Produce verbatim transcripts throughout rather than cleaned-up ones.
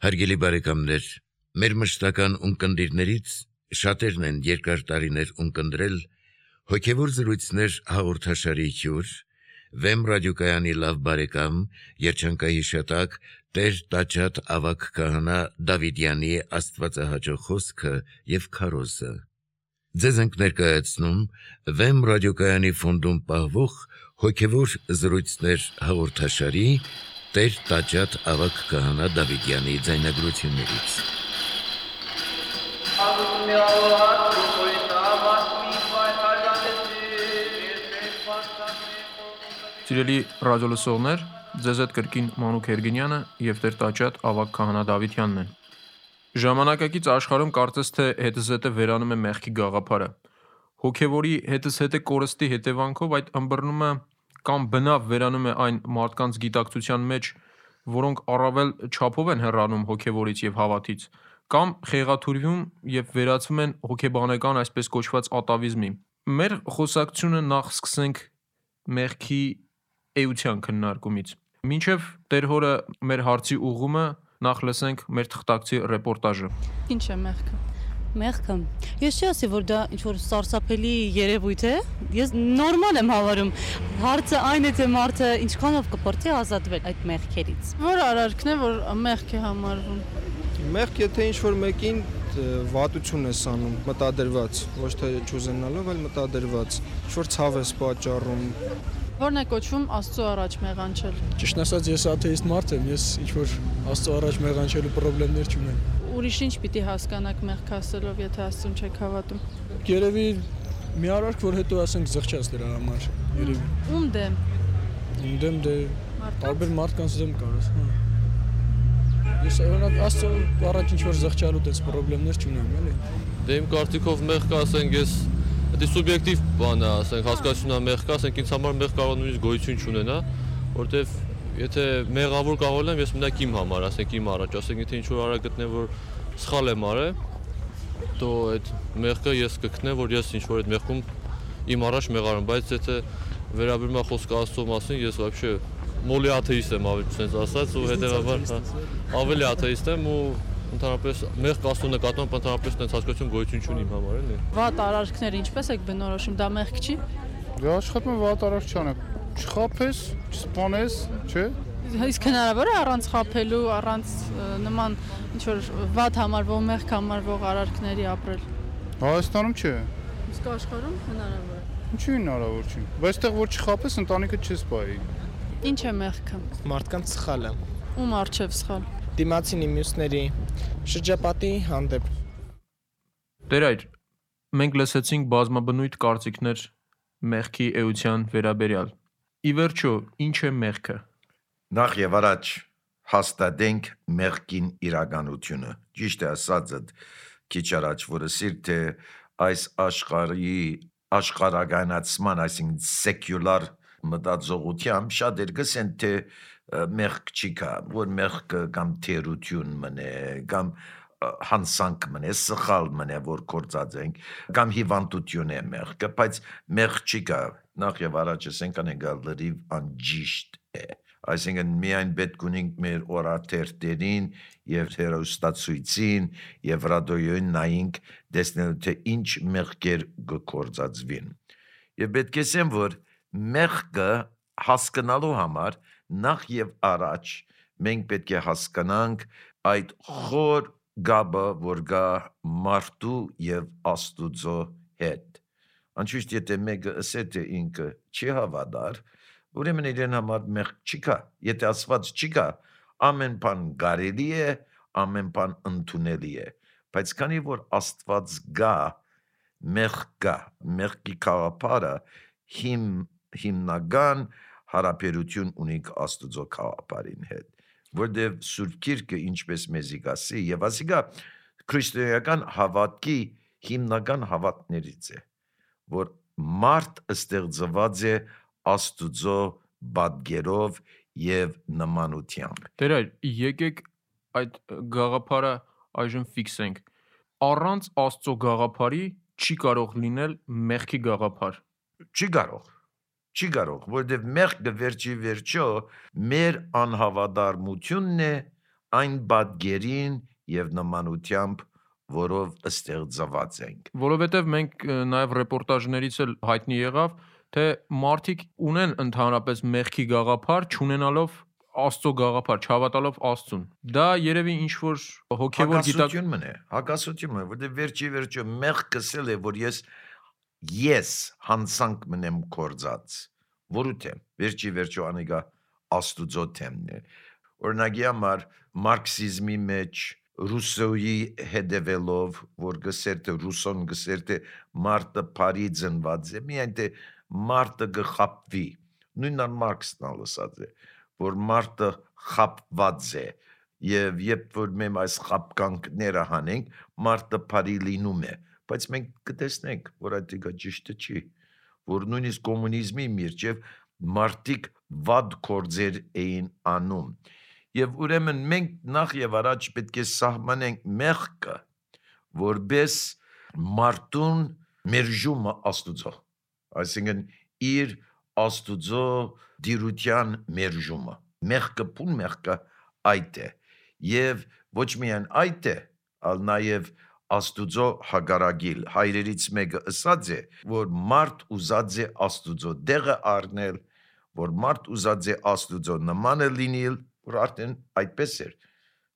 Հարգելի բարեկամներ, մեր մշտական ունկնդիրներից շատերն են երկար տարիներ ունկնդրել հոգևոր զրույցներ հաղորդաշարի հյուր, Վեմ ռադիոկայանի լավ բարեկամ, երջանկահիշատակ Տեր Տաճատ ավագ քահանա Դավիդյանի աստվածահաճո խոսքը եւ քարոզը։ Ձեզ ենք ներկայացնում Վեմ ռադիոկայանի ֆոնդում պահվող հոգևոր զրույցներ հաղորդաշարի Տեր Տաճատ ավագ քահանա Դավիդյանի ձայնագրություններից։ Սիրելի ռադիոլսողներ, ձեզ հետ կրկին Մանուկ Հերգինյանը եւ Տեր Տաճատ ավագ քահանա Դավիդյանն են։ Ժամանակակից աշխարհում կարծես թե հետզհետե վերանում է մեղքի գաղափարը։ Հոգևորի հետզհետե կորստի հետևանքով այդ ըմբռնումը կամ բնավ վերանում է այն մարդկանց գիտակցության մեջ, որոնք առավել չափով են հեռանում հոգևորից եւ հավատից, կամ խեղաթյուրվում եւ վերածվում են հոգեբանական այսպես կոչված ատավիզմի։ Մեր խոսակցությունը նախ սկսենք մեղքի էության քննարկումից։ Մինչև Տեր հորը մեր հարցի ուղղումը նախ լսենք մեր թղթակցի ռեպորտաժը։ Ինչ է մեղքը։ Մեղքը։ Ես չի ասի, որ դա ինչ-որ սարսափելի երևույթ է, ես նորմալ եմ հավարում։ Հարցը այն է, թե մարդը ինչքանով կփորձի ազատվել այդ մեղքերից։ Որ արարքն է, որ մեղք է համարվում։ Մեղք, եթե ինչ-որ մեկին վատություն ես անում, մտադրված, ոչ թե չուզենալով, այլ մտադրված, ինչ-որ ցավ ես պատճառում։ Որն է կոչվում Աստծո առաջ մեղանչել։ Ճիշտ ասած, ես աթեիստ մարդ եմ, ես ինչ-որ Աստծո առաջ մեղանչելու խնդիրներ չունեմ։ Ուրիշ ինչ պիտի հասկանաք մեղք ասելով, եթե Աստծուն չեք հավատում։ Երևի մի արարք, որ հետո ասենք զղջաց դրա համար, երևի։ Ում դեմ։ Ում դեմ դե տարբեր մարդկանց դեմ կարաս, հա։ Ես օրինակ Աստծո առաջ ինչ-որ զղջալու դες խնդիրներ չունեմ, էլի։ Դե իմ կարծիքով մեղքը ասենք ես դա սուբյեկտիվ բան է, ասենք հասկացությունա մեղքը, ասենք ինձ համար մեղք կարող նույնիսկ գոյություն չունենա, որտեվ եթե մեղավոր կարող եմ, ես մենակ իմ համար, ասենք իմ առաջ, ասենք եթե ինչ-որ արա գտնեմ, որ սխալ եմ արել, то այդ մեղքը ես կգտնեմ, որ ես ինչ-որ այդ մեղքում իմ առաջ մեղարում, բայց եթե վերաբերում է խոսքը Աստծո մասին, ես вообще մոլի աթեիստ եմ ավելի ցենց ասած ու հետեւաբար ավելի աթեիստ եմ ու ընդհանրապես մեղք Աստծո նկատմամբ ընդհանրապես այնց հասկացություն գոյություն չունի իմ համար, էլի։ Վատ արարքները ինչպես եք բնորոշում, դա մեղք չի։ Դե աշխատում եմ վատ արարք չանեմ։ Չխափես, չսպանես, չէ՞։ Իսկ հնարավոր է առանց խափելու, առանց նման ինչ-որ վատ համարվող, մեղք համարվող արարքների ապրել։ Հայաստանում չէ։ Իսկ աշխարհում հնարավոր է։ Ինչու հնարավոր չի։ Բայց այդտեղ որ չխափես, ընտանիքը չես պահի։ Ինչ է մեղքը։ Մարդկանց սխալը։ Ում առջև սխալ։ Դիմացինի մյուսների շրջապատի հանդեպ։ Տեր այր, մենք լսեցինք բազմաբնույթ կարծիքներ մեղքի էության վերաբերյալ։ Ի վերջո, ինչ է մեղքը։ Նախ եւ առաջ հաստատենք մեղքին իրականությունը։ Ճիշտ է ասածդ քիչ առաջ, որը սիրտ թե այս աշխարհի աշխարհականացման, այսինքն secular մտածողությամբ շատեր գսեն թե մեղք չի կա, որ մեղքը կամ թերություն մնե, կամ հանցանք մնե, սխալ մնե, որ կործած ենք, կամ հիվանդություն է մեղքը, բայց մեղք չի կա, նախ եւ առաջ ասենք անեգալ լրիվ անջիշտ է, այսինքն միայն պետք ունենք մեր օրաթերթերին եւ հերոստացույցին եւ ռադիոյին նայենք տեսնելու թե ինչ մեղքեր կործածվին, եւ պետք է ասեմ, որ մեղքը հասկանալու համար նախ եւ առաջ մենք պետք է հասկանանք այդ խոր գաբը, որ գա մարդու եւ Աստուծո հետ։ Անշուշտ եթե մեկը ասե թե ինքը չի հավատար, ուրեմն իրեն համար մեղք չի կա, եթե ասված չի կա, ամեն բան կարելի է, ամեն բան ընդունելի է, բայց քանի որ Աստված գա, մեղք կա, մեղքի գաղափարը հիմ հիմնական հարաբերություն ունի Աստուծո գաղափարին հետ, որտեղ Սուրբ Գիրքը ինչպես մեզի գասի եւ ասիկա քրիստոնեական հավատքի հիմնական հավատներից է, որ մարդ ստեղծված է Աստուծո բادرով եւ նմանությամբ։ Տեր այր, եկեք այդ գաղափարը այժմ ֆիքսենք։ Առանց Աստծո գաղափարի չի կարող լինել մեղքի գաղափար։ Չի կարող։ Չի կարող, որովհետև մեղքը վերջի վերջո մեր անհավատարմությունն է այն բադգերին եւ նմանությամբ, որով ստեղծված ենք։ Որովհետև մենք ը, նաև ռեպորտաժներից էլ հայտնի եղավ, թե մարդիկ ունեն ընդհանրապես մեղքի գաղափար, չունենալով Աստծո գաղափար, չհավատալով Աստծուն։ Դա երևի ինչ որ հոգևոր գիտակ Հակասություն մնե, հակասություն մնե, որտեղ վերջի վերջո մեղ կսել է, որ ես ես հանցանք մնեմ կործած, որու թեմ, վերջի վերջո անիգա աստուծո թեմն է։ Օրինակի համար մարքսիզմի մեջ ռուսոյի հետևելով, որ գսեր թե ռուսոն գսեր թե մարդը բարի ծնված է, միայն թե մարդը գխապվի, նույնն մարքսն ալսած է, որ մարդը խապված է, եւ երբ որ մենք այս խապկանքները հանենք, մարդը բարի լինում է, բայց մենք կտեսնենք, որ այդ ճիշտը չի, որ նույնիսկ կոմունիզմի միջև մարդիկ վատ գործեր էին անում, եւ ուրեմն մենք նախ եւ առաջ պետք է սահմանենք մեղքը, որպես մարդուն մերժումը Աստուծո, այսինքն իր Աստուծո դիրության մերժումը, մեղքը փուն մեղքը այդ է, եւ ոչ միայն այդ է, այլ նաեւ Աստուծո հագարագիլ, հայրերից մեկը ըսած է, որ մարդ ուզած է Աստուծո դեղը առնել, որ մարդ ուզած է Աստուծո նմանը լինել, որ արդեն այդպես էր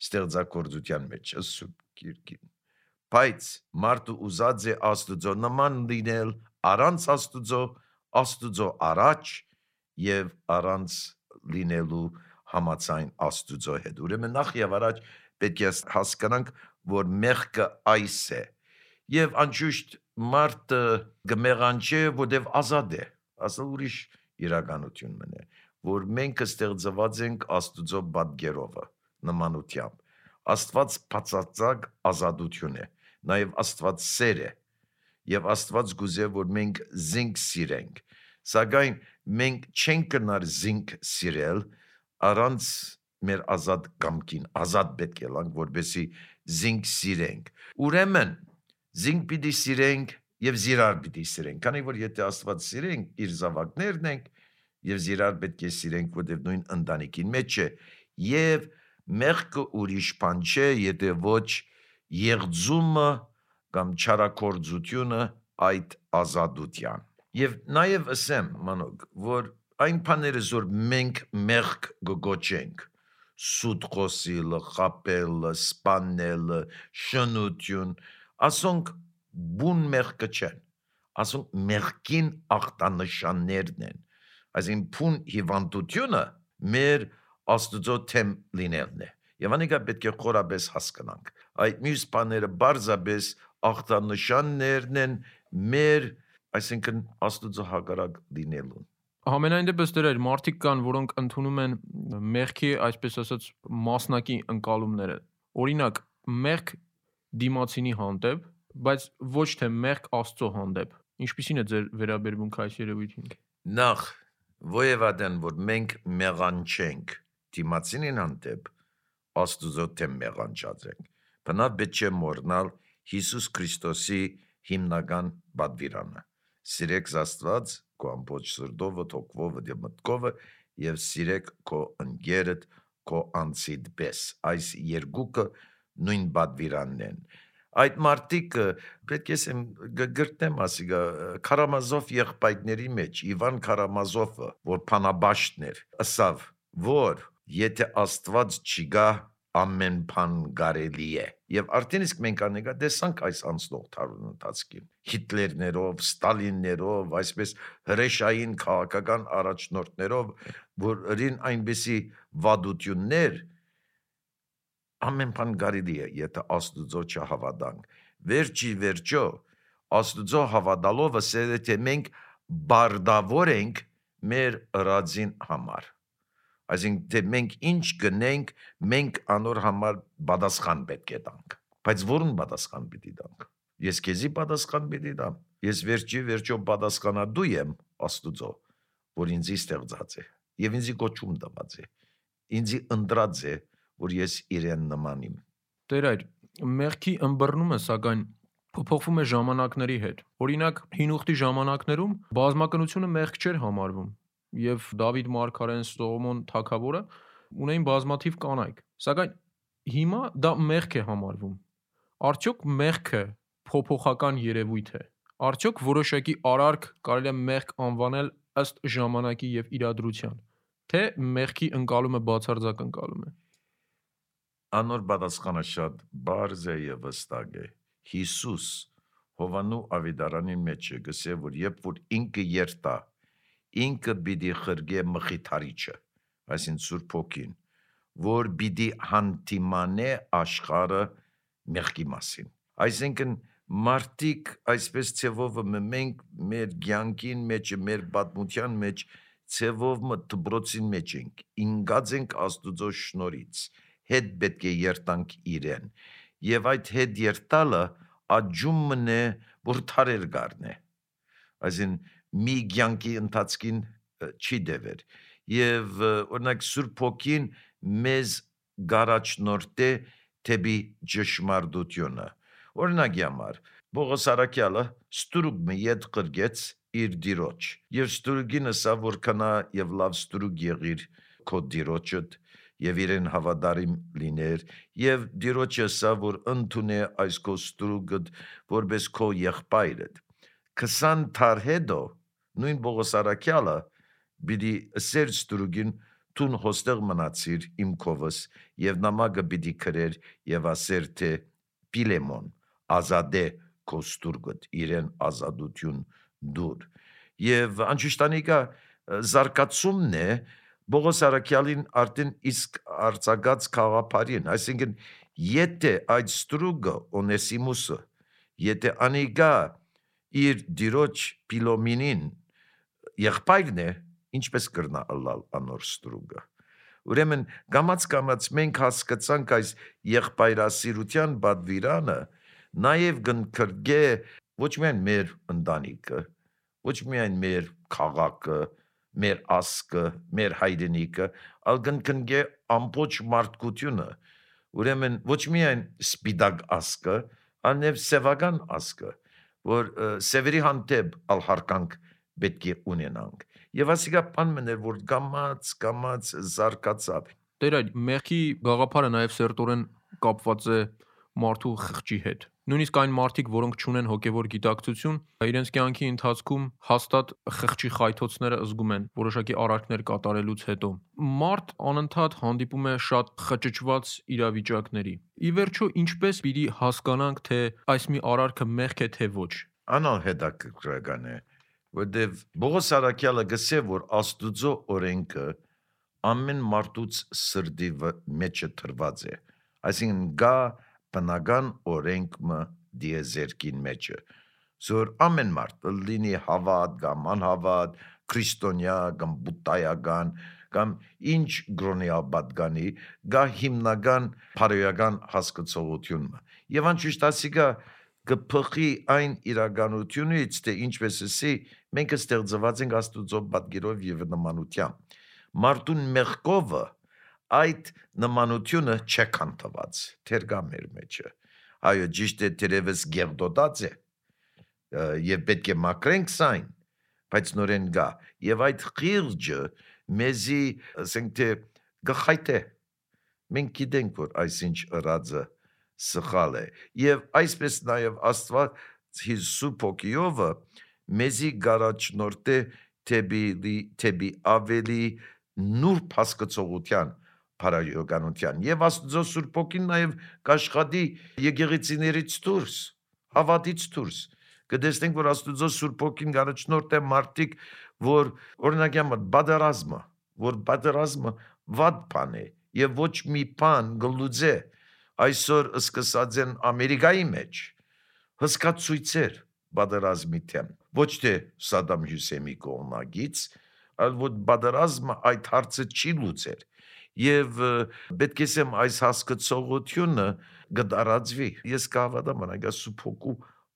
ստեղծագործության մեջ, սուրբ գիրքին, բայց մարդը ուզած է Աստուծո նման լինել առանց Աստուծո, Աստուծո առաջ եւ առանց լինելու համացայն Աստուծո հետ։ Ուրեմն նախ եւ առաջ պետք է հասկանանք, որ մեղքը այս է, եւ անշուշտ մարդը գմեղանչե, որտեւ ազատ է, ասել ուրիշ իրականություն մնե, որ մենք ստեղծված ենք Աստուծո պատգերովը, նմանությամբ, Աստված բացարձակ ազատություն է, նաեւ Աստված սեր է, եւ Աստված գուզե, որ մենք զինք սիրենք, սակայն մենք չենք կնար զինք սիրել, առանց մեր ազատ կամքին, ազատ պետք է լանք, որպեսի զինք սիրենք, ուրեմն զինք պիտի սիրենք եւ զիրար պիտի սիրենք, քանի որ եթե Աստված սիրենք, իր զավակներն ենք եւ զիրար պետք է սիրենք, որտեղ նույն ընտանիքին մեջ է, եւ մեղքը ուրիշ բան չէ, եթե ոչ եղձումը կամ չարակորձությունը այդ ազատության։ Եվ նաեւ ասեմ, մանոկ, որ այն բաները, որ մենք մեղք գոչենք, սուտ խոսիլը, խապելը, սպանելը, շնություն, ասոնք բուն մեղքը չեն, ասոնք մեղքին ախտանշաններն են, այսին բուն հիվանդությունը մեր Աստուծո թեմ լինելն է, եւ անիկա պետք է խորապես հասկանանք, այդ մյուս բաները բարձրապես ախտանշաններն են մեր, այսինքն Աստուծո հակառակ լինելուն։ Համենայն դեպս դեր մարդիկ կան, որոնք ընդունում են մեղքի, այսպես ասած, մասնակի ընկալումները։ Օրինակ, մեղք դիմացինի հանդեպ, բայց ոչ թե մեղք Աստծո հանդեպ։ Ինչպիսին է ձեր վերաբերմունքը այս երևույթին։ Նախ, ովևէ որ մենք մեղանչենք դիմացինին հանդեպ, Աստուծո թեմ մեղանչած ենք։ Բնավ պետք չէ մոռանալ Հիսուս Քրիստոսի հիմնական պատվիրանը։ Սիրեք Աստված քո ամբողջ սրտով, հոգով եւ մտքով եւ սիրեք քո ընկերդ, քո անձիդ պես։ Այս երկուքը նույն պատվիրանն են։ Այդ մարդիկ պետք է ասեմ գրտնեմ ասիգա Կարամազով եղբայրների մեջ Իվան Կարամազովը, որ փանաբաշտն էր, ասավ, որ եթե Աստված չգա, ամեն բան կարելի է։ Եվ արդեն իսկ մենք անեկա տեսանք այս անցնող տարուն ընթացքին։ Հիտլերներով, Ստալիններով, այսպես հրեշային քաղաքական առաջնորդներով, որ ըրին այնպիսի վադություններ, ամեն բան կարելի է, եթե Աստուծո չհավատանք։ Վերջի վերջո, Աստուծո հավատալով ասել է, թե մենք բարդավոր ենք մեր ըրածին համար։ Այսինքն, թե մենք ինչ գնենք, մենք անոր համար պատասխան պետք է տանք։ Բայց որուն պատասխան պիտի տանք։ Ես քեզի պատասխան պիտի տամ։ Ես վերջի վերջո պատասխանատու եմ Աստուծո, որ ինձ ստեղծած է եւ ինձ կոչում տված է։ Ինձ ընտրած է, որ ես իրեն նմանիմ։ Տեր այր, մեղքի ըմբռնումը սակայն փոփոխվում է ժամանակների հետ։ Օրինակ, հին ուխտի ժամանակներում բազմակնությունը մեղք չէր համարվում, եւ Դավիթ մարգարեն, Սողոմոն թագավորը ունեին բազմաթիվ կանայք։ Սակայն հիմա դա մեղք է համարվում։ Արդյոք մեղքը փոփոխական երևույթ է։ Արդյոք որոշակի արարք կարելի է մեղք անվանել ըստ ժամանակի եւ իրադրության, թե մեղքի ընկալումը բացարձակ ընկալում է։ Անոր պատասխանը շատ բարձ է եւ վստակ է։ Հիսուս Հովանու ավետարանի մեջ է գսե, որ երբ որ ինքը երթա, ինքը պիտի խրգե մխիթարիչը, այսինքն Սուրբ Հոգին, որ պիտի հանդիմանե աշխարհը մեղքի մասին։ Այսինքն մարդիկ այսպես ցևով մենք մեր ցանկին մեջ, մեր պատմության մեջ ցևով դբրոցին մեջ ենք, ինգած ենք Աստուծո շնորհից, հետ պետք է երտանք իրեն, եւ այդ հետ երտալը աջում մնե, որ թարեր գարնե, այսին մի ցանկի ընթացքին չի դեվեր, եւ օրինակ Սուրբ Հոգին մեզ գարաչնորտե թեպի ճշմարտությունը։ Օրինակի համար Պողոս Արաքյալը ստուրուկ մի ետ կրգեց իր դիրոջ, եւ ստուրուկին ասա, որ քնա եւ լավ ստուրուկ եղիր քո դիրոջդ եւ իրեն հավատարիմ լիներ, եւ դիրոջը ասա, որ ընդունե այս քո ստուրուկդ որպես քո եղբայրդ։ քսան թար հետո նույն Պողոս Արաքյալը պիտի ասեր ստուրուկին տուն հոստեղ մնացիր իմ քովս եւ նամակը պիտի քրեր եւ ասեր թե Պիլեմոն ազատե քո ստուրգդ իրեն ազատություն դուր եւ անջուշտանիկա զարգացումն է Պողոս Արաքյալին արդեն իսկ արծագած խաղապարին, այսինքն եթե այդ ստուրգը Օնեսիմուսը եթե անիգա իր դիրոջ Պիլոմինին եղբայրն է, ինչպես կրնա ըլլալ անոր ստուրգը։ Ուրեմն գամած գամած մենք հասկացանք այս եղբայրասիրության բադվիրանը նաև գնքրգե ոչ միայն մեր ընտանիքը, ոչ միայն մեր քաղաքը, մեր ասկը, մեր հայրենիքը, այլ գնքնգե ամբողջ մարդկությունը։ Ուրեմն ոչ միայն սպիտակ ասկը, այլև սևական ասկը, որ սևերի հանդեպ ալ հարկանք պետք է ունենանք։ Եվ ասիկա բան մներ, որ գամած, գամած զարգացավ։ Տեր այդ մեղքի գաղափարը նաև սերտորեն կապված է մարդու խղճի հետ։ Նույնիսկ այն մարդիկ, որոնք չունեն հոգևոր գիտակցություն, իրենց կյանքի ընթացքում հաստատ խղճի խայթոցները զգում են որոշակի արարքներ կատարելուց հետո։ Մարդ անընդհատ հանդիպում է շատ խճճված իրավիճակների։ Ի վերջո, ինչպես պիտի հասկանանք, թե այս մի արարքը մեղք է, թե ոչ։ Անհետաքրքրական է, որտեվ Պողոս Արաքյալը գսե, որ Աստուծո օրենքը ամեն մարդուց սրդի մեջը թրված է, այսինքն գա բնական օրենքը դիեզերքին մեջը, որ ամեն մարդ լինի հավատ կամ անհավատ, քրիստոնյա կամ բուդդայական կամ ինչ գրոնյալ պատգանի, գա հիմնական բարոյական հասկացողությունը։ Եվ անշուշտ ասիկա կփոխի այն իրականությունից, թե ինչպես ասի, մենք ստեղծված ենք Աստուծո պատկերով եւ նմանությամբ։ Մարդուն մեղքովը այդ նմանությունը չքանթված, թերգա մեր մեջը։ Այո, ճիշտ է, թերևս գերդոդած է, եւ պետք է մակրենք սայն, բայց նորեն գա, եւ այդ խիղճը մեզի, ասենք թե, գխայտ է։ Մենք գիտենք, որ այսինչ ըրածը սխալ է, եւ այսպես նաեւ Աստված Սուրբ Հոգիովը մեզի գարաչնորտե թեպի ավելի նուրբ հասկացողության բարոյականության եւ Աստծո Սուրբ Հոգին նաեւ կաշխատի եկեղեցիներից դուրս, հավատից դուրս։ Կտեսնենք, որ Աստծո Սուրբ Հոգին գարաչնորտ է մարդիկ, որ օրինակի համար բادرազմը, որ բادرազմը վատ բան է եւ ոչ մի բան գլուծե այսօր սկսած են Ամերիկայի մեջ հսկացույցեր բادرազմի թեմ, ոչ թե Սադամ Հյուսեյնի կողմնակից, այլ որ բادرազմը այդ հարցը չի լուծեր։ Եվ պետք է ասեմ այս հասկացողությունը գդարածվի։ Ես կհավատամ անագա Սուրբ Հոգու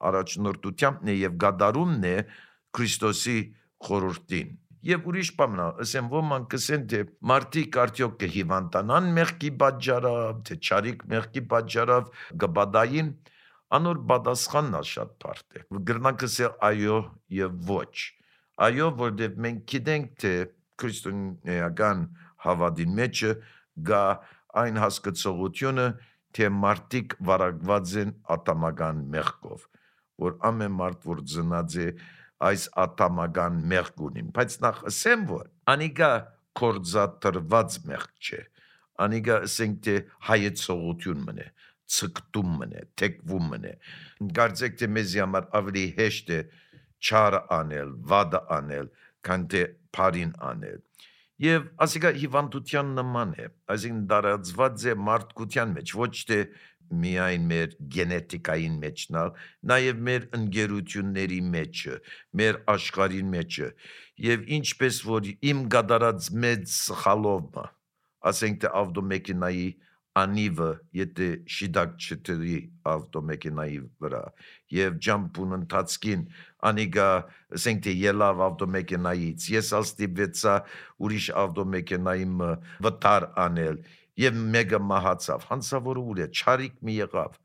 առաջնորդությանն է եւ գադարումն է Քրիստոսի խորհրդին։ Եվ ուրիշ բան, ասեմ, ոմանք կսեն, թե մարդիկ արդյոք կհիվանդանան մեղքի պատճառով, թե չարիք մեղքի պատճառով կբադային, անոր պատասխանն շատ բարդ է։ Գրնանք ասել այո եւ ոչ։ Այո, որովհետեւ մենք գիտենք, թե քրիստոնեական հավատին մեջը գա այն հասկացողությունը, թե մարդիկ վարակված են ատամական մեղքով, որ ամեն մարդ, որ ծնած է այս ատամական մեղք ունին, բայց նախ ասեմ, որ անիկա կործատրված մեղք չէ, անիկա ասենք թե հայեցողություն մնե, ցկտում մնե, թեկվում մնե, կարծեք թե մեզի համար ավելի հեշտ է չարը անել, վադը անել, քան թե փարին անել, եւ ասիկա հիվանդության նման է, այսինքն դարածված է մարդկության մեջ, ոչ թե միայն մեր գենետիկային մեջնալ, նաև մեր ընկերությունների մեջը, մեր աշխարհի մեջը, եւ ինչպես որ իմ գդարած մեծ սխալովը, ասենք թե ավտոմեքենայի անիվը, եթե շիդակ չտրի ավտոմեքենայի վրա, եւ ջամփուն ընթացքին անիգա, ասենք թե ելավ ավտոմեքենայից, ես ալստիվեցա ուրիշ ավտոմեքենայի վտար անել, եւ մեկը մահացավ, հանցավորը ուր է, չարիք մի եղավ,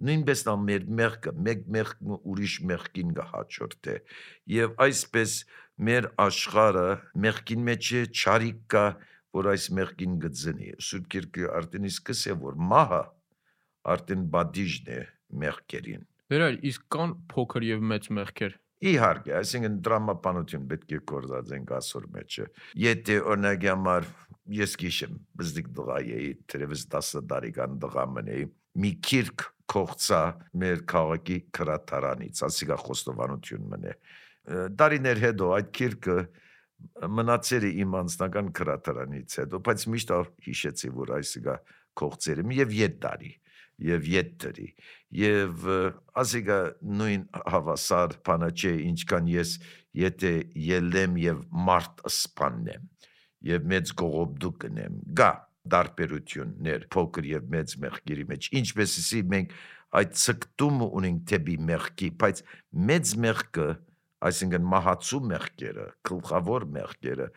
նույնպես նա մեր մեղքը, մեկ մեղքը ուրիշ մեղքին կհաջորդե, եւ այսպես մեր աշխարհը մեղքին մեջ է, չարիք կա, որ այս մեղքին գծնի, Սուրբ Գիրքը արդեն իսկս է, որ մահը արդեն բադիժն է մեղքերին։ Վերայր, իսկ կան փոքր եւ մեծ մեղքեր։ Իհարկե, այսինքն դրամապանություն պետք է կործածենք ասոր մեջը։ Եթե օրինակ համար ես գիշեմ, բզդիկ դղա էի, թերևս տասը տարեկան դղա մնեի, մի քիրք կողցա մեր քաղաքի քրատարանից, ասիկա խոստովանություն մնե։ Տարիներ հետո այդ քիրքը մնացել է իմ անձնական քրատարանից հետո, բայց միշտ հիշեցի, որ այսիկա կողցել եմ եւ ետ տարի, եւ ետ դրի, եւ ասիկա նույն հավասար բանը չէ, ինչքան ես եթե ելեմ եւ մարդ սպանեմ, եւ մեծ կողոպտու կնեմ, գա դարբերություններ փոքր եւ մեծ մեղքերի մեջ, ինչպես ասի մենք այդ ցկտումը ունենք դեպի մեղքի, բայց մեծ մեղքը, այսինքն մահացու մեղքերը, գլխավոր մեղքերը,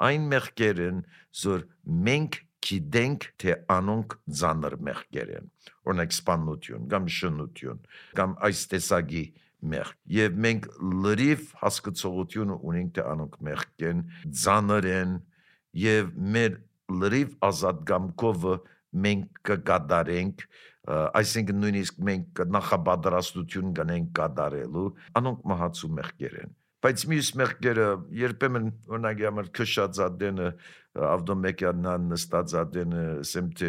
այն մեղքերն, որ մենք գիտենք, թե անոնք ծանր մեղքեր են, օրինակ սպանություն, կամ շնություն, կամ այս տեսակի մեղք, եւ մենք լրիվ հասկացողություն ունենք, թե անոնք մեղք են, ծանր են, եւ մեր լրիվ ազատ կամքով մենք կկատարենք, այսինքն նույնիսկ մենք նախապատրաստություն կնենք կատարելու, անոնք մահացու մեղքեր են, բայց մյուս մեղքերը երբեմն օրինակ համար քշածադենը ավտոմեքենան նստածադենը ասեմ թե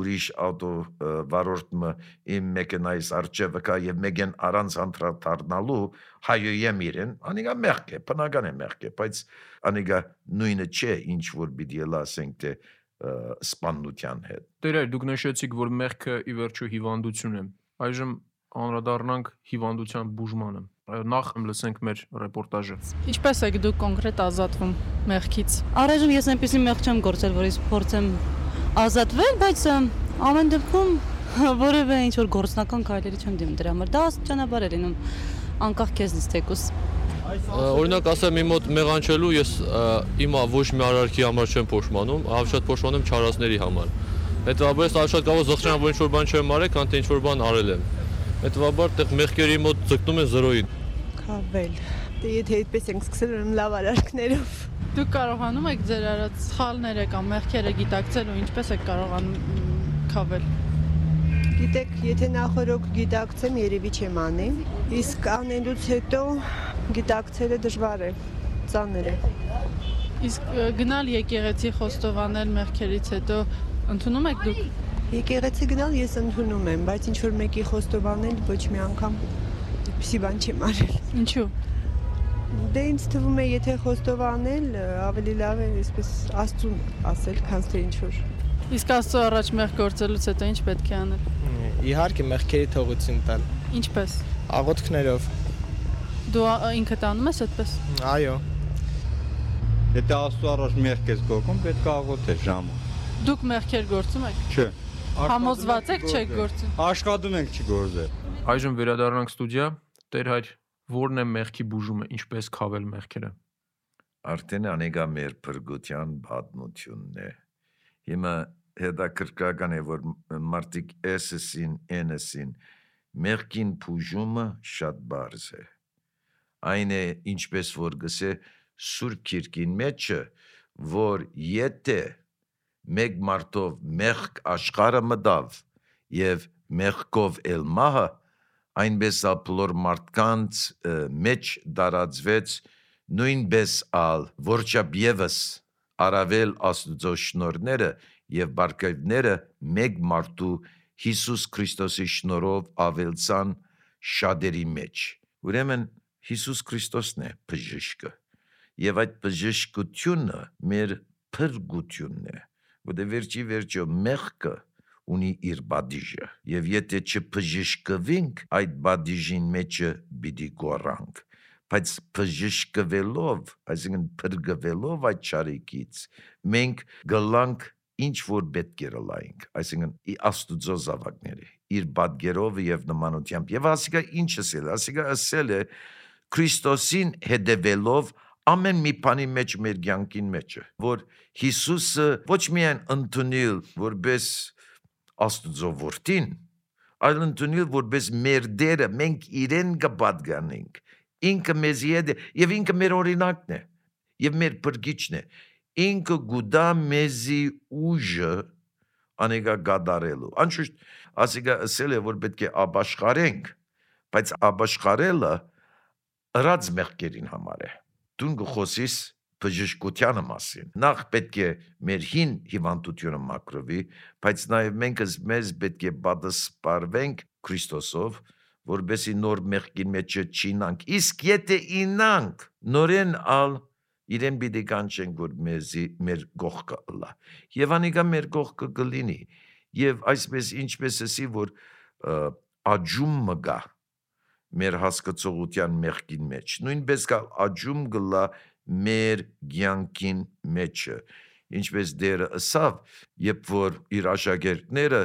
ուրիշ ավտո վարորդը իմ մեքենայից արջևը կա եւ մեկեն առանց անդրադառնալու հայոյեմ իրեն, անիկա մեղք է, բնական է մեղք է, բայց անիկա նույնը չէ, ինչ որ պիտի ասենք թե սպանության հետ։ Տերեր, դուք նշեցիք, որ մեղքը ի վերջո հիվանդություն է։ Այժմ անդրադառնանք հիվանդության բուժմանը։ Նախ լսենք մեր ռեպորտաժը։ Ինչպես եք դուք կոնկրետ ազատվում մեղքից։ Առայժմ ես այնպեսի մեղք չեմ գործել, որ ես փորձեմ ազատվել, բայց ամեն դեպքում որևէ ինչ որ գործնական քայլերի չեմ դիմում դրա համար։ Դա ճանապարհ է լինում անկախ քեզնից թեկուս։ Օրինակ ասեմ իմ մոտ մեղանչելու ես իմ ոչ մի արարքի համար չեմ փոշմանում, ավելի շատ փոշմանում չարացների համար։ Հետևաբար ես շատ կարող զղջան, որ ինչ որ բան չեմ արել, քան թե ինչ որ բան արել եմ։ Հետևաբար տեղ մեղքերի մոտ ձգտում են զրոյին։ Քավել։ Դե եթե այդպես ենք սկսել ուրեմն լավ արարքներով։ Դուք կարողանում եք ձեր արած սխալները կամ մեղքերը գիտակցել ու ինչպես եք կարողանում քավել։ Գիտեք, եթե նախորոք գիտակցեմ, երևի չեմ անի, իսկ անելուց հետո գիտակցելը դժվար է, ծանր է։ Իսկ գնալ եկեղեցի խոստովանել մեղքերից հետո ընդունում եք դուք։ Եկեղեցի գնալ ես ընդունում եմ, բայց ինչ որ մեկի խոստովանել ոչ մի անգամ այդպիսի բան չեմ արել։ Ինչու։ Դե ինձ թվում է, եթե խոստովանել, ավելի լավ է այսպես Աստծուն ասել, քան թե ինչ որ։ Իսկ Աստծո առաջ մեղք գործելուց հետո ինչ պետք է անել։ Իհարկե մեղքերի թողություն տալ։ Ինչպես։ Աղոթքներով։ Դու ինքդ անում ես այդպես։ Այո։ Եթե Աստծո առաջ մեղք ես գործում, պետք է աղոթես ժամը։ Դուք մեղքեր գործում եք։ Չէ։ Համոզված եք չեք գործում։ Աշխատում ենք չգործել։ Այժմ վերադառնանք ստուդիա։ Տեր հայր, ո՞րն է մեղքի բուժումը, ինչպես քավել մեղքերը։ Արդեն անեգա մեր փրկության պատմությունն է։ Հիմա հետաքրքրական է, որ մարդիկ էսսին, էնսին մեղքին բուժումը շատ բարձ է։ Այն է, ինչպես որ գսե Սուրբ Գիրքին մեջը, որ եթե մեկ մարդով մեղք աշխարհը մտավ եւ մեղքով էլ մահը, այնպես ալ բոլոր մարդկանց մեջ դարածվեց նույնպես ալ որչափ եւս առավել Աստուծո շնորհները եւ բարգավները մեկ մարդու Հիսուս Քրիստոսի շնորհով ավելցան շատերի մեջ։ Ուրեմն Հիսուս Քրիստոսն է բժիշկը եւ այդ բժշկությունը մեր փրկությունն է, որտեղ վերջի վերջո մեղքը ունի իր բադիժը եւ եթե չբժշկվենք այդ բադիժին մեջը պիտի գորանք, բայց բժշկվելով, այսինքն փրկվելով այդ ճարիքից մենք գլանք ինչ որ պետք է լայնք, այսինքն Աստուծո զավակները իր բادگերով եւ նմանությամբ եւ ասիկա ինչ ասել, ասիկա ասել է Քրիստոսին հետևելով ամեն մի բանի մեջ մեր կյանքին մեջ է, որ Հիսուսը ոչ միայն ընդունել որպես Աստուծո որդին, այլ ընդունել որպես մեր դերը, մենք իրեն կպատկանենք, ինքը մեզի հետ է եւ ինքը մեր օրինակն է եւ մեր փրկիչն է, ինքը գուտա մեզի ուժը անեգա գադարելու, անշուշտ ասիկա ասել է որ պետք է ապաշխարենք, բայց ապաշխարելը ըրած մեղքերին համար է, դու գխոսիս բժշկության մասին, նախ պետք է մեր հին հիվանդությունը մաքրվի, բայց նաև մենք մեզ պետք է պատասխանենք Քրիստոսով, որբեսի նոր մեղքին մեջ չինանք, իսկ եթե ինանք, նորեն ալ իրեն պիտի կանչենք, որ մեզի մեր գողքը ըլա, եւ անիկա մեր գողքը կլինի, եւ այսպես ինչպես էսի, որ աջում մգա մեր հասկացողության մեղքին մեջ, նույնպես կա աջում գլա մեր կյանքին մեջը, ինչպես դերը ըսավ, երբ որ իր աշակերտները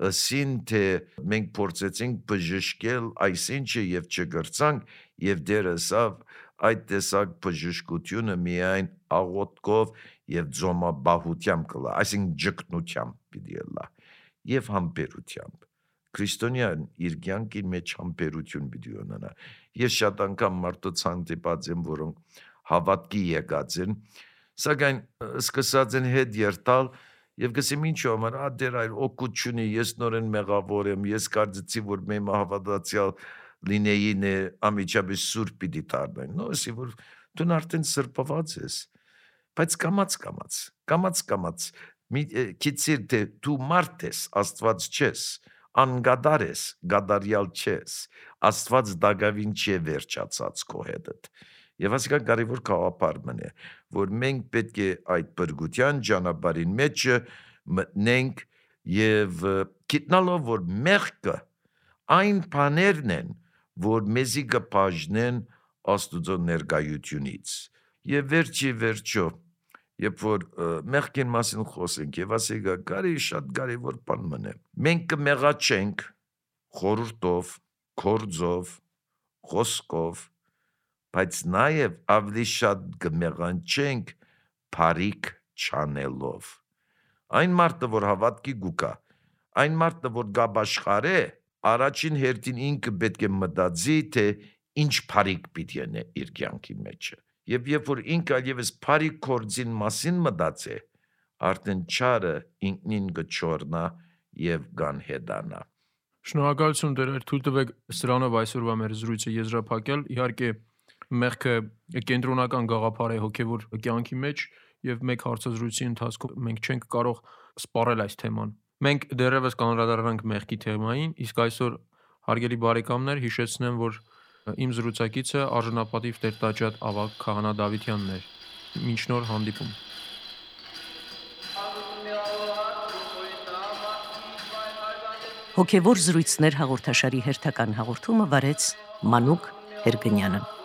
ըսին, թե մենք փորձեցինք բժշկել այսինչը եւ չգրցանք, եւ դերը ըսավ, այդ տեսակ բժշկությունը միայն աղոթքով եւ ձոմաբահությամբ կլա, այսինքն ճգնությամբ պիտի լա եւ համբերությամբ։ Քրիստոնյան իր կյանքին մեջ համբերություն պիտի ունենա։ Ես շատ անգամ մարդոց հանդիպած եմ, որոնք հավատքի եկած են, սակայն սկսած են հետ երթալ եւ գսեմ ինչու համար, ա դեր այլ օգուտությունի, ես նորեն մեղավոր եմ, ես կարծեցի, որ մեմ հավատացյալ լինեին է ամիջապես սուրբ պիտի դառնային, նո, ասի, որ դու արդեն սրբված ես, բայց կամաց կամաց, կամաց կամաց, քիծիր թե դու մարդ ես, Աստված չես, անգադար ես, գադարյալ չես, Աստված դագավին չէ վերջացած քո հետդ։ Եվ ասիկա կարևոր գաղափար մնե, որ մենք պետք է այդ բրգության ճանապարհին մեջը մտնենք եւ գիտնալով, որ մեղքը այն բաներն են, որ մեզի կբաժնեն Աստուծո ներկայությունից։ Եվ վերջի վերջո, երբ որ մեղքին մասին խոսենք եւ ասիկա կարի շատ կարևոր բան մնե, մենք կմեղաչենք խորհրդով, գործով, խոսքով, բայց նաև ավելի շատ կմեղանչենք բարիք չանելով։ Այն մարդը, որ հավատքի գուկա, այն մարդը, որ գաբաշխար է, առաջին հերթին ինքը պետք է մտածի, թե ինչ բարիք պիտի անե իր կյանքի մեջը։ Եվ երբ որ ինքը այլևս բարիք գործին մասին մտածե, արդեն չարը ինքնին կչորնա եւ կանհետանա։ Շնորհակալություն դեր, թույլ տվեք սրանով այսօրվա մեր զրույցը եզրափակել։ Իհարկե մեղքը կենտրոնական գաղափար է հոգևոր կյանքի մեջ եւ մեկ հարցազրույցի ընթացքում մենք չենք կարող սպառել այս թեման։ Մենք դեռևս կանրադառնանք մեղքի թեմային, իսկ այսօր հարգելի բարեկամներ հիշեցնեմ, որ իմ զրուցակիցը արժանապատիվ տերտաճատ Ավագ Քահանա Դավթյանն էր։ Մինչ նոր հանդիպում։ Հոգևոր զրույցներ հաղորդաշարի հերթական հաղորդումը վարեց Մանուկ Հերգնյանը։